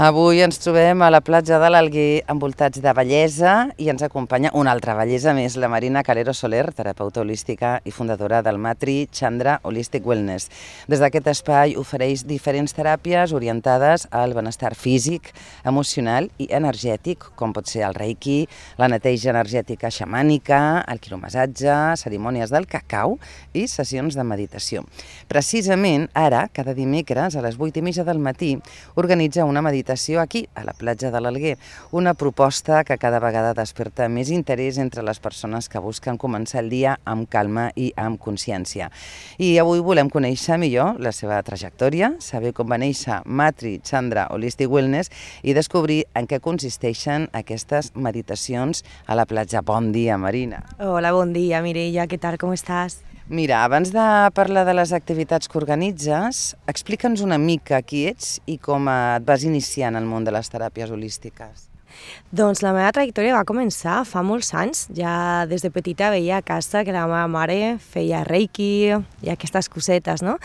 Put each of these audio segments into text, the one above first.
Avui ens trobem a la platja de l'Alguer envoltats de bellesa i ens acompanya una altra bellesa més, la Marina Calero Soler, terapeuta holística i fundadora del Matri Chandra Holistic Wellness. Des d'aquest espai ofereix diferents teràpies orientades al benestar físic, emocional i energètic, com pot ser el reiki, la neteja energètica xamànica, el quiromassatge, cerimònies del cacau i sessions de meditació. Precisament ara, cada dimecres a les 8:30 del matí, organitza una meditació aquí, a la platja de l'Alguer, una proposta que cada vegada desperta més interès entre les persones que busquen començar el dia amb calma i amb consciència. I avui volem conèixer millor la seva trajectòria, saber com va néixer Matri Chandra Holistic Wellness i descobrir en què consisteixen aquestes meditacions a la platja. Bon dia, Marina. Hola, bon dia, Mireia, què tal, com estàs? Mira, abans de parlar de les activitats que organitzes, explica'ns una mica qui ets i com et vas iniciar en el món de les teràpies holístiques. Doncs la meva trajectòria va començar fa molts anys. Ja des de petita veia a casa que la meva mare feia reiki i aquestes cosetes, no?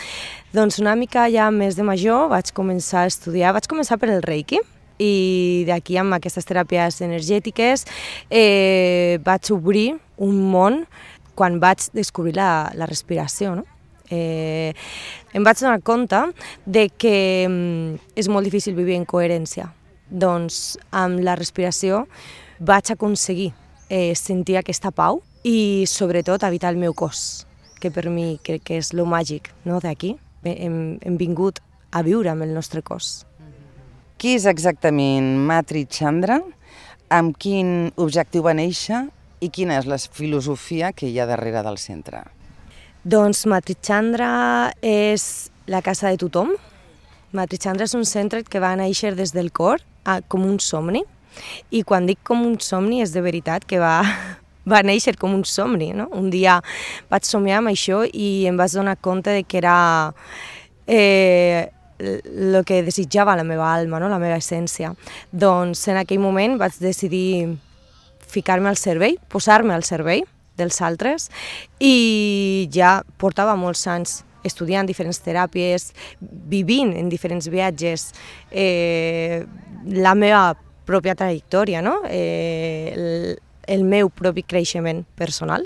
Doncs una mica ja més de major vaig començar a estudiar, vaig començar per el reiki, i d'aquí amb aquestes teràpies energètiques vaig obrir un món quan vaig descobrir la respiració, no? Em vaig donar compte de que és molt difícil vivir en coherència. Doncs amb la respiració vaig aconseguir sentir aquesta pau i sobretot habitar el meu cos, que per mi crec que és lo màgic, no? D'aquí hem vingut a viure amb el nostre cos. Qui és exactament Matri Chandra? Amb quin objectiu va néixer? I quina és la filosofia que hi ha darrere del centre? Doncs Matri Chandra és la casa de tothom. Matri Chandra és un centre que va néixer des del cor com un somni. I quan dic com un somni és de veritat que va néixer com un somni, no? Un dia vaig somiar amb això i em vaig donar compte de que era el que desitjava la meva alma, no? La meva essència. Doncs en aquell moment vaig decidir ficar-me al servei, posar-me al servei dels altres i ja portava molts anys estudiant diferents teràpies, vivint en diferents viatges, la meva pròpia trajectòria, no? El meu propi creixement personal.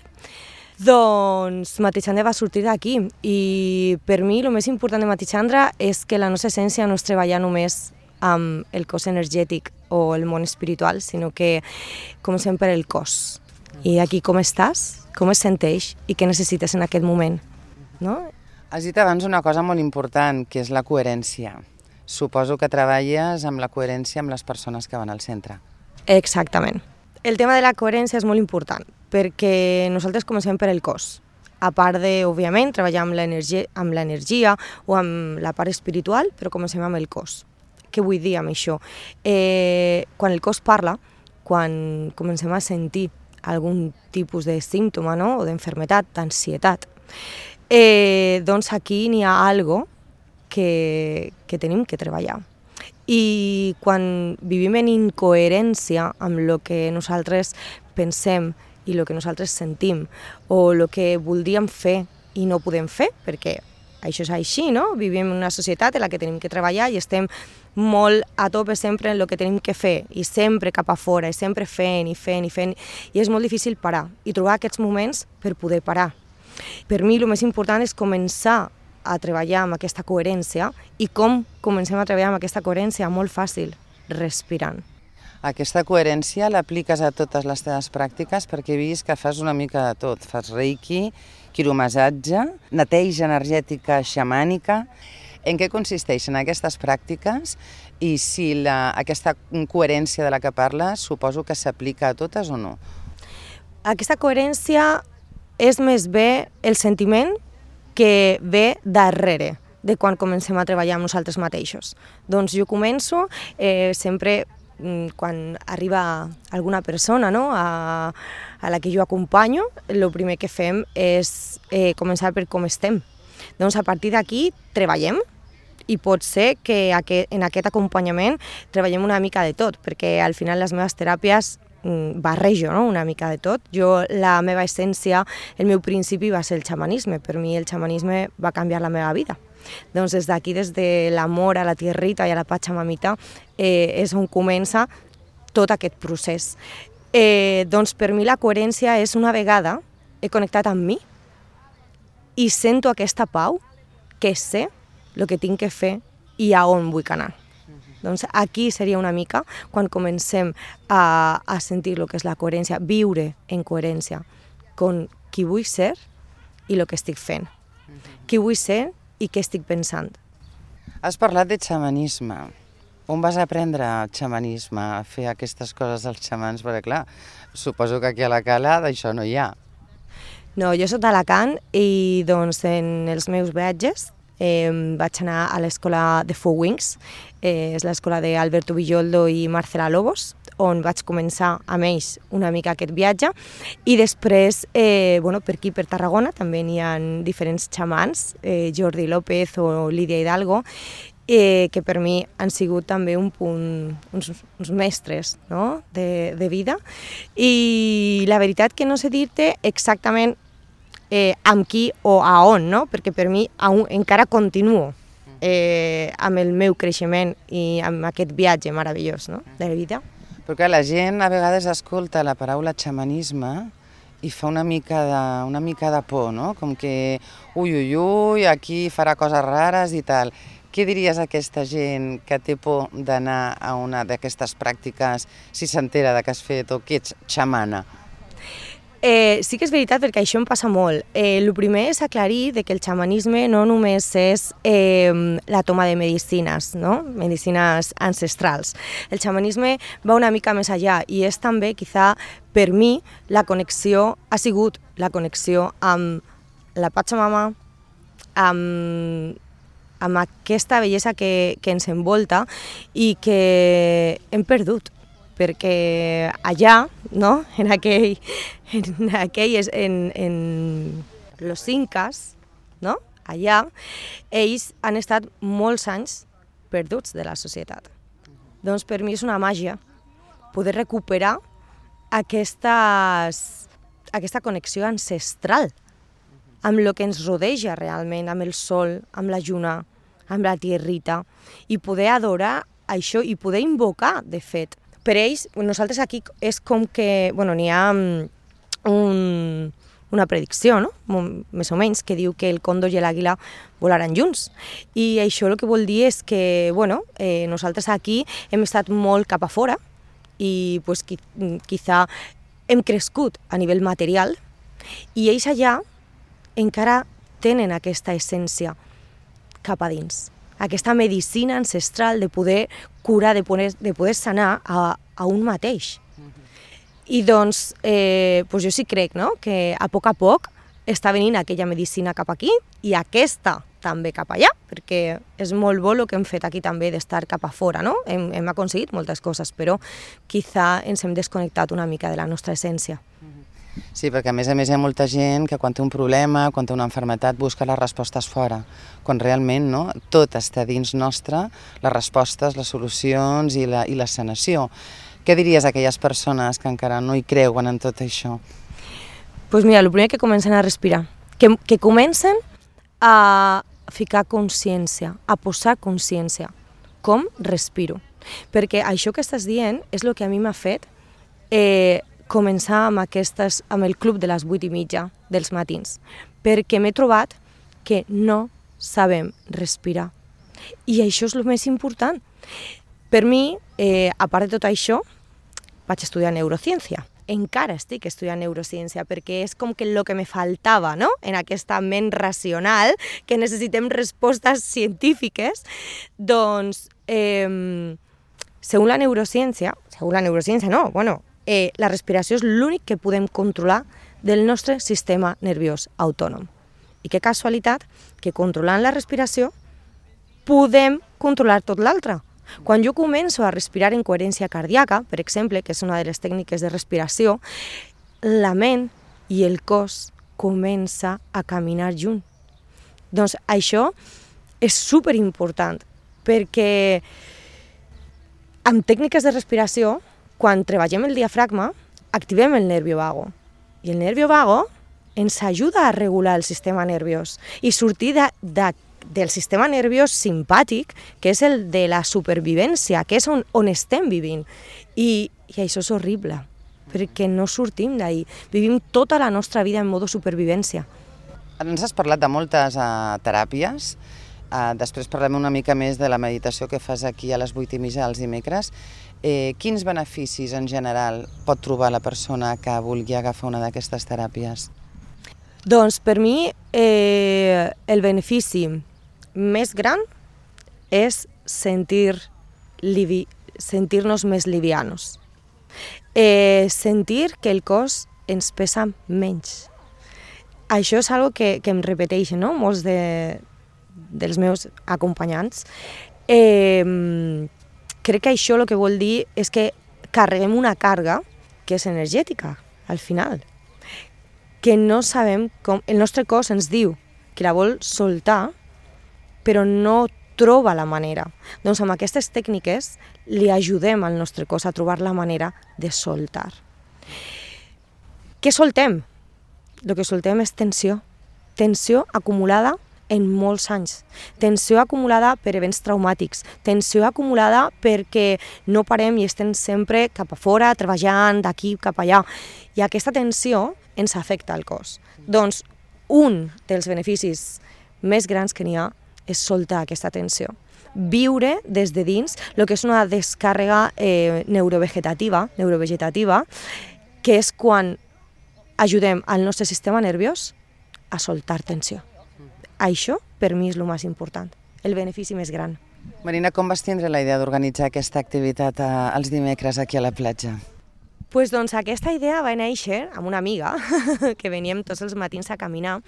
Doncs Matri Chandra va sortir d'aquí i per mi el més important de Matri Chandra és que la nostra essència no és treballar només amb el cos energètic o el món espiritual, sinó que comencem per el cos. I aquí com estàs, com es senteix i què necessites en aquest moment, no? Has dit abans una cosa molt important, que és la coherència. Suposo que treballes amb la coherència amb les persones que van al centre. Exactament. El tema de la coherència és molt important, perquè nosaltres comencem per el cos. A part de, òbviament, treballar amb l'energia o amb la part espiritual, però comencem amb el cos. Què vull dir amb això? Quan el cos parla, quan comencem a sentir algun tipus de símptoma, no? O d'enfermetat, d'ansietat, doncs aquí n'hi ha algo que tenim que treballar. I quan vivim en incoherència amb el que nosaltres pensem i el que nosaltres sentim o el que voldríem fer i no podem fer, perquè això és així, no? Vivim en una societat en la que tenim que treballar i estem molt a tope sempre en el que tenim que fer i sempre cap a fora i sempre fent i és molt difícil parar i trobar aquests moments per poder parar. Per mi el més important és començar a treballar amb aquesta coherència i com comencem a treballar amb aquesta coherència? Molt fàcil, respirant. Aquesta coherència l'apliques a totes les teves pràctiques perquè he vist que fas una mica de tot. Fas reiki, quiromassatge, neteja energètica xamànica. En què consisteixen aquestes pràctiques i si aquesta coherència de la que parles suposo que s'aplica a totes o no? Aquesta coherència és més bé el sentiment que ve darrere de quan comencem a treballar amb nosaltres mateixos. Doncs jo començo sempre quan arriba alguna persona, no? a la que jo acompanyo, el primer que fem és començar per com estem. Doncs a partir d'aquí treballem i pot ser que en aquest acompanyament treballem una mica de tot, perquè al final les meves teràpies barrejo, no? Una mica de tot. La meva essència, el meu principi va ser el xamanisme. Per mi el xamanisme va canviar la meva vida. Doncs des d'aquí, des de l'amor a la tierrita i a la Pachamamita, és on comença tot aquest procés. Doncs per mi la coherència és una vegada he connectat amb mi i sento aquesta pau que sé el que tinc que fer i a on vull anar. Doncs aquí seria una mica quan comencem a sentir el que és la coherència, viure en coherència con qui vull ser i el que estic fent, qui vull ser i què estic pensant. Has parlat de xamanisme. On vas aprendre xamanisme, a fer aquestes coses als xamans? Perquè clar, suposo que aquí a la Cala d'això no hi ha. No, jo soc d'Alacant i doncs en els meus viatges vaig anar a l'escola de Four Wings, és l'escola d'Alberto Villoldo i Marcela Lobos, on vaig començar amb ells una mica aquest viatge, i després, per aquí, per Tarragona, també n'hi ha diferents xamans, Jordi López o Lídia Hidalgo, que per mi han sigut també uns mestres, no?, de vida. I la veritat que no sé dir-te exactament amb qui o a on, no? Perquè per mi encara continuo amb el meu creixement i amb aquest viatge meravellós, no?, de la vida. Perquè la gent a vegades escolta la paraula xamanisme i fa una mica de por, no? Com que ui, aquí farà coses rares i tal. Què diries a aquesta gent que té por d'anar a una d'aquestes pràctiques si s'entera que has fet o que ets xamana? Sí que és veritat, perquè això em passa molt. El primer és aclarir que el xamanisme no només és la toma de medicines, no?, medicines ancestrals. El xamanisme va una mica més allà i és també, quizà, per mi, ha sigut la connexió amb la Pachamama, amb aquesta bellesa que ens envolta i que hem perdut. Perquè allà, no?, en los incas, no?, allà, ells han estat molts anys perduts de la societat. Doncs per mi és una màgia poder recuperar aquesta connexió ancestral amb el que ens rodeja realment, amb el sol, amb la lluna, amb la tierrita, i poder adorar això i poder invocar, de fet. Per ells, nosaltres aquí és com que, n'hi ha una predicció, no?, més o menys, que diu que el còndor i l'àguila volaran junts. I això el que vol dir és que, nosaltres aquí hem estat molt cap a fora i quizà hem crescut a nivell material i ells allà encara tenen aquesta essència cap a dins. Aquesta medicina ancestral de poder curar, de poder sanar a un mateix. I doncs, jo sí crec, no?, que a poc està venint aquella medicina cap aquí i aquesta també cap allà, perquè és molt bo el que hem fet aquí també d'estar cap a fora, no? Hem aconseguit moltes coses, però quizà ens hem desconnectat una mica de la nostra essència. Sí, perquè a més hi ha molta gent que quan té un problema, quan té una malaltia, busca les respostes fora, quan realment, no?, tot està dins nostre, les respostes, les solucions i la sanació. Què diries a aquelles persones que encara no hi creuen en tot això? Doncs mira, el primer que comencen a respirar, que comencen a ficar consciència, a posar consciència, com respiro. Perquè això que estàs dient és el que a mi m'ha fet començar amb el club de les 8:30 dels matins, perquè m'he trobat que no sabem respirar. I això és el més important. Per mi, a part de tot això, vaig estudiar neurociència. Encara estic estudiant neurociència perquè és com que el que me faltava, no?, en aquesta ment racional, que necessitem respostes científiques. Doncs, segons la neurociència la respiració és l'únic que podem controlar del nostre sistema nerviós autònom. I que casualitat que controlant la respiració podem controlar tot l'altre. Quan jo començo a respirar en coherència cardíaca, per exemple, que és una de les tècniques de respiració, la ment i el cos comença a caminar junt. Doncs això és superimportant, perquè amb tècniques de respiració, quan treballem el diafragma, activem el nervio vago. I el nervio vago ens ajuda a regular el sistema nerviós i sortir del sistema nerviós simpàtic, que és el de la supervivència, que és on estem vivint. I això és horrible, perquè no sortim d'ahir. Vivim tota la nostra vida en modo supervivència. Ens has parlat de moltes teràpies. Després parlem una mica més de la meditació que fas aquí a les 8:30 els dimecres. Quins beneficis en general pot trobar la persona que vulgui agafar una d'aquestes teràpies? Doncs per mi el benefici més gran és sentir-nos més livianos. Sentir que el cos ens pesa menys. Això és algo que em repeteixen, no? Molts dels meus acompanyants. Crec que això el que vol dir és que carreguem una càrrega que és energètica, al final, que no sabem com... El nostre cos ens diu que la vol soltar, però no troba la manera. Doncs amb aquestes tècniques li ajudem al nostre cos a trobar la manera de soltar. Què soltem? El que soltem és tensió. Tensió acumulada en molts anys. Tensió acumulada per events traumàtics. Tensió acumulada perquè no parem i estem sempre cap a fora, treballant d'aquí cap allà. I aquesta tensió ens afecta al cos. Doncs un dels beneficis més grans que n'hi ha és soltar aquesta tensió. Viure des de dins el que és una descàrrega neurovegetativa, que és quan ajudem al nostre sistema nerviós a soltar tensió. Això, per mi, és el més important, el benefici més gran. Marina, com vas tindre la idea d'organitzar aquesta activitat els dimecres aquí a la platja? Doncs aquesta idea va néixer amb una amiga que veníem tots els matins a caminar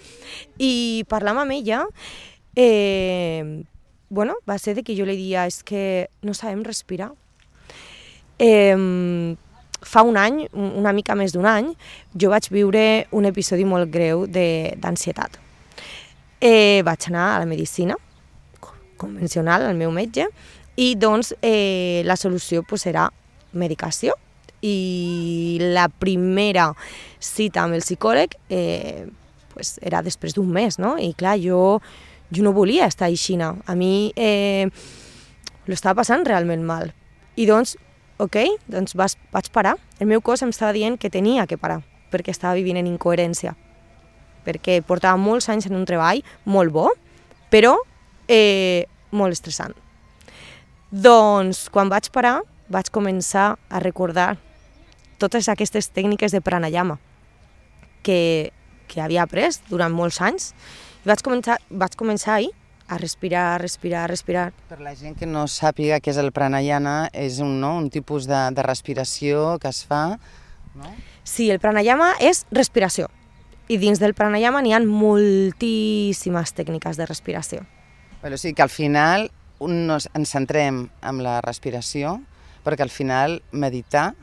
i parlant amb ella, va ser que jo li deia és que no sabem respirar. Fa un any, una mica més d'un any, jo vaig viure un episodi molt greu d'ansietat. Vaig anar a la medicina convencional, al meu metge, i doncs la solució era medicació. I la primera cita amb el psicòleg era després d'un mes, no? I clar, jo no volia estar així. A mi lo estava passant realment mal. I doncs, vaig parar. El meu cos em estava dient que tenia que parar, perquè estava vivint en incoherència. Perquè portava molts anys en un treball molt bo, però molt estressant. Doncs, quan vaig parar, vaig començar a recordar totes aquestes tècniques de pranayama que havia après durant molts anys. Vaig començar ahir a respirar. Per la gent que no sàpiga què és el pranayama, és un tipus de respiració que es fa, no? Sí, el pranayama és respiració. I dins del pranayama n'hi ha moltíssimes tècniques de respiració. O sigui que al final ens centrem en la respiració, perquè al final meditar,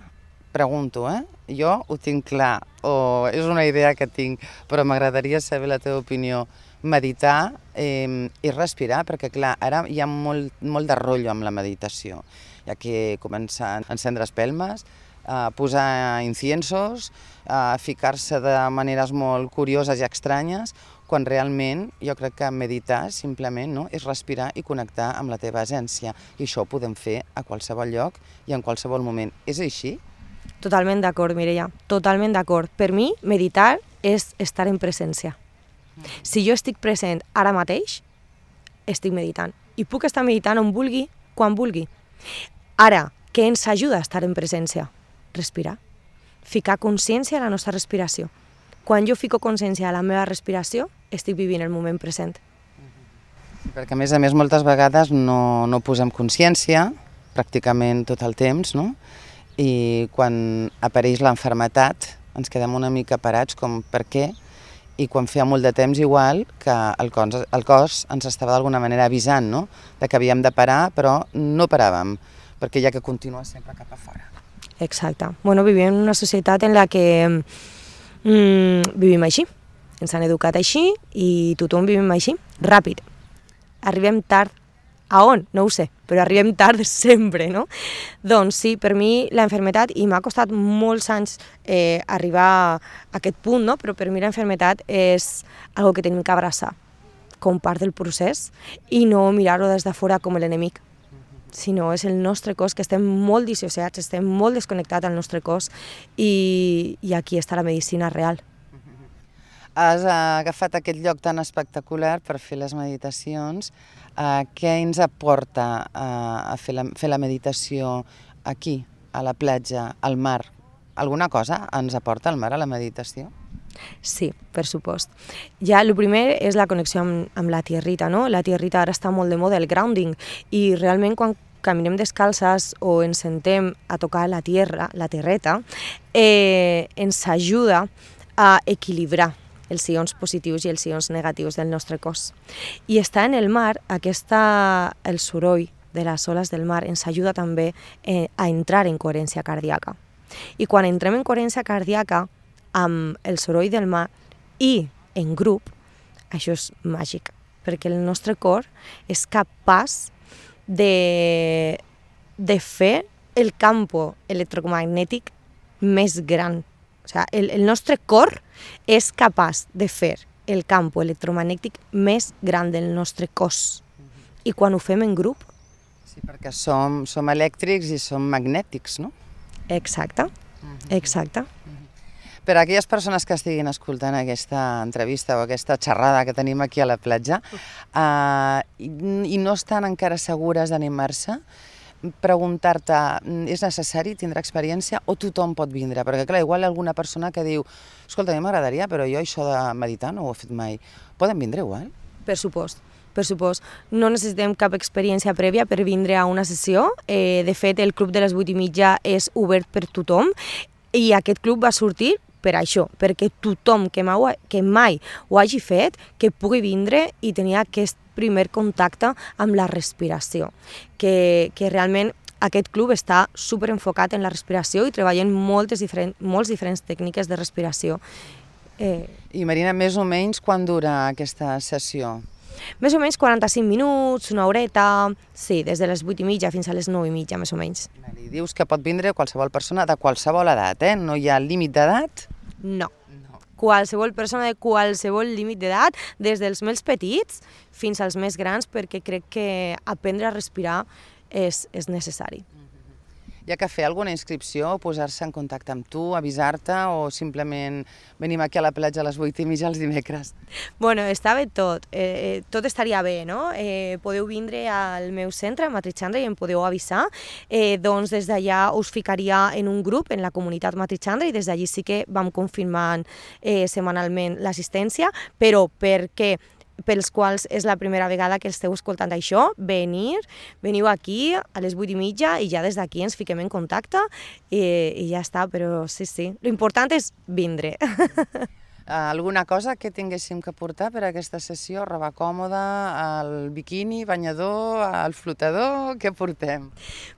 pregunto, jo ho tinc clar, o és una idea que tinc, però m'agradaria saber la teva opinió. Meditar i respirar, perquè clar, ara hi ha molt de rotllo amb la meditació. Hi ha que començar a encendre espelmes, a posar inciensos, a ficar-se de maneres molt curioses i estranyes, quan realment jo crec que meditar simplement és respirar i connectar amb la teva essència. I això ho podem fer a qualsevol lloc i en qualsevol moment. És així? Totalment d'acord, Mireia, totalment d'acord. Per mi, meditar és estar en presència. Si jo estic present ara mateix, estic meditant. I puc estar meditant on vulgui, quan vulgui. Ara, què ens ajuda a estar en presència? Respirar. Ficar consciència a la nostra respiració. Quan jo fico consciència a la meva respiració, estic vivint el moment present. Perquè, a més, moltes vegades no posem consciència, pràcticament tot el temps, no? I quan apareix l'enfermetat ens quedem una mica parats com per què, i quan feia molt de temps igual que el cos ens estava d'alguna manera avisant, no? De que havíem de parar, però no paràvem, perquè hi ha que continuar sempre cap a fora. Exacte. Vivim en una societat en la que vivim així. Ens han educat així i tothom vivim així, ràpid. Arribem tard. A on? No ho sé, però arribem tard sempre, no? Doncs sí, per mi la malaltia, i m'ha costat molts anys arribar a aquest punt, no? Però per mi la malaltia és algo que tenim que abraçar. com part del procés i no mirar-ho des de fora com l'enemic, sinó és el nostre cos, que estem molt dissociats, estem molt desconnectats al nostre cos i aquí està la medicina real. Has agafat aquest lloc tan espectacular per fer les meditacions. Què ens aporta a fer la meditació aquí, a la platja, al mar? Alguna cosa ens aporta el mar a la meditació? Sí, per supost. Ja el primer és la connexió amb la tierrita, no? La tierrita ara està molt de moda, el grounding, i realment quan caminem descalces o ens sentem a tocar la terreta, ens ajuda a equilibrar els ions positius i els ions negatius del nostre cos. I estar en el mar, el soroll de les oles del mar ens ajuda també a entrar en coherència cardíaca. I quan entrem en coherència cardíaca amb el soroll del mar i en grup, això és màgic, perquè el nostre cor és capaç de fer el campo electromagnètic més gran. O sigui, el nostre cor és capaç de fer el campo electromagnètic més gran del nostre cos. I quan ho fem en grup... Sí, perquè som elèctrics i som magnètics, no? Exacte, exacte. Per a aquelles persones que estiguin escoltant aquesta entrevista o aquesta xerrada que tenim aquí a la platja i no estan encara segures d'animar-se, preguntar-te, és necessari tindre experiència o tothom pot vindre? Perquè clar, igual hi ha alguna persona que diu escolta, a mi m'agradaria, però jo això de meditar no ho he fet mai. Poden vindre igual? Per supost. No necessitem cap experiència prèvia per vindre a una sessió. De fet, el club de les 8:30 és obert per tothom i aquest club va sortir per això, perquè tothom que mai ho hagi fet, que pugui vindre i tenir aquest primer contacte amb la respiració, que realment aquest club està super enfocat en la respiració i treballen moltes diferents tècniques de respiració. I Marina, més o menys quan dura aquesta sessió? Més o menys 45 minuts, una horeta, sí, des de les 8:30 fins a les 9:30, més o menys. I dius que pot vindre qualsevol persona de qualsevol edat, No hi ha límit d'edat? No. Qualsevol persona de qualsevol límit d'edat, des dels més petits fins als més grans, perquè crec que aprendre a respirar és necessari. Hi ha que fer alguna inscripció, posar-se en contacte amb tu, avisar-te o simplement venim aquí a la platja a les 8:30 els dimecres? Bueno, està bé tot. Tot estaria bé, no? Podeu vindre al meu centre, a Matrichandra, i em podeu avisar. Doncs des d'allà us ficaria en un grup, en la comunitat Matrichandra, i des d'allí sí que vam confirmant setmanalment l'assistència, però perquè pels quals és la primera vegada que esteu escoltant això, veniu aquí a les 8:30 i ja des d'aquí ens fiquem en contacte i ja està, però sí. L'important és vindre. Alguna cosa que tinguéssim que portar per a aquesta sessió? Roba còmoda, el biquini, banyador, el flotador, què portem?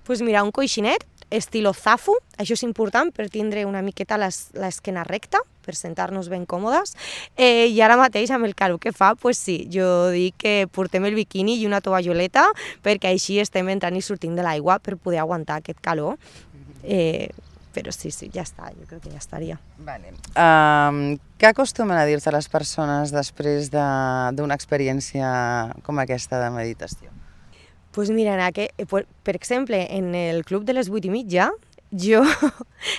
Doncs mira, un coixinet, estilo zafu, això és important per tindre una miqueta l'esquena recta, per sentar-nos ben còmodes, i ara mateix amb el calor que fa, doncs sí, jo dic que portem el biquini i una tovalloleta perquè així estem entrant i sortint de l'aigua per poder aguantar aquest calor, però sí, ja està, jo crec que ja estaria. Vale. Què acostumen a dir-te les persones després d'una experiència com aquesta de meditació? Doncs mira, per exemple, en el club de les 8:30,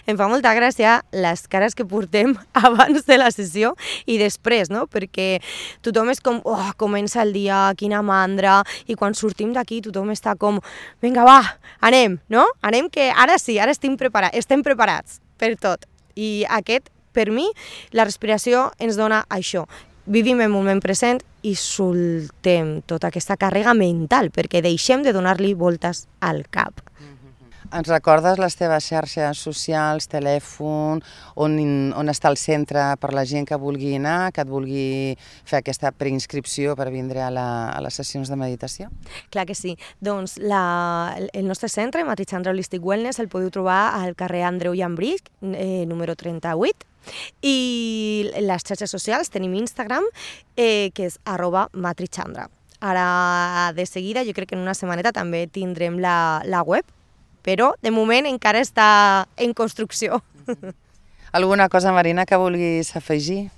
em fa molta gràcia les cares que portem abans de la sessió i després, no? Perquè tothom és com, comença el dia, quina mandra, i quan sortim d'aquí tothom està com, vinga va, anem, no? Anem que ara sí, ara estem preparats per tot. I per mi, la respiració ens dona això. Vivim el moment present i soltem tota aquesta càrrega mental, perquè deixem de donar-li voltes al cap. Ens recordes les teves xarxes socials, telèfon, on està el centre per la gent que vulgui anar, que et vulgui fer aquesta preinscripció per vindre a les sessions de meditació? Clar que sí. Doncs el nostre centre, Matrichandra Holistic Wellness, el podeu trobar al carrer Andreu Llambrich, número 38, i les xarxes socials tenim Instagram, que és @matrichandra. Ara, de seguida, jo crec que en una setmaneta també tindrem la web, però de moment encara està en construcció. Alguna cosa, Marina, que vulguis afegir?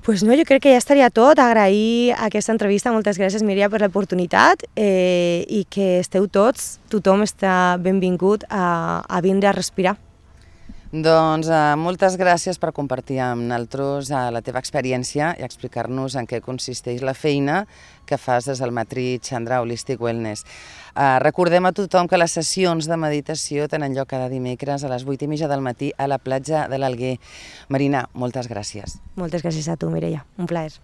Pues no, jo crec que ja estaria tot. Agrair aquesta entrevista. Moltes gràcies, Míria, per l'oportunitat i que esteu tots, tothom està benvingut a vindre a respirar. Doncs moltes gràcies per compartir amb nosaltres la teva experiència i explicar-nos en què consisteix la feina que fas des del Matri Chandra Holistic Wellness. Recordem a tothom que les sessions de meditació tenen lloc cada dimecres a les 8:30 del matí a la platja de l'Alguer. Marina, moltes gràcies. Moltes gràcies a tu, Mireia. Un plaer.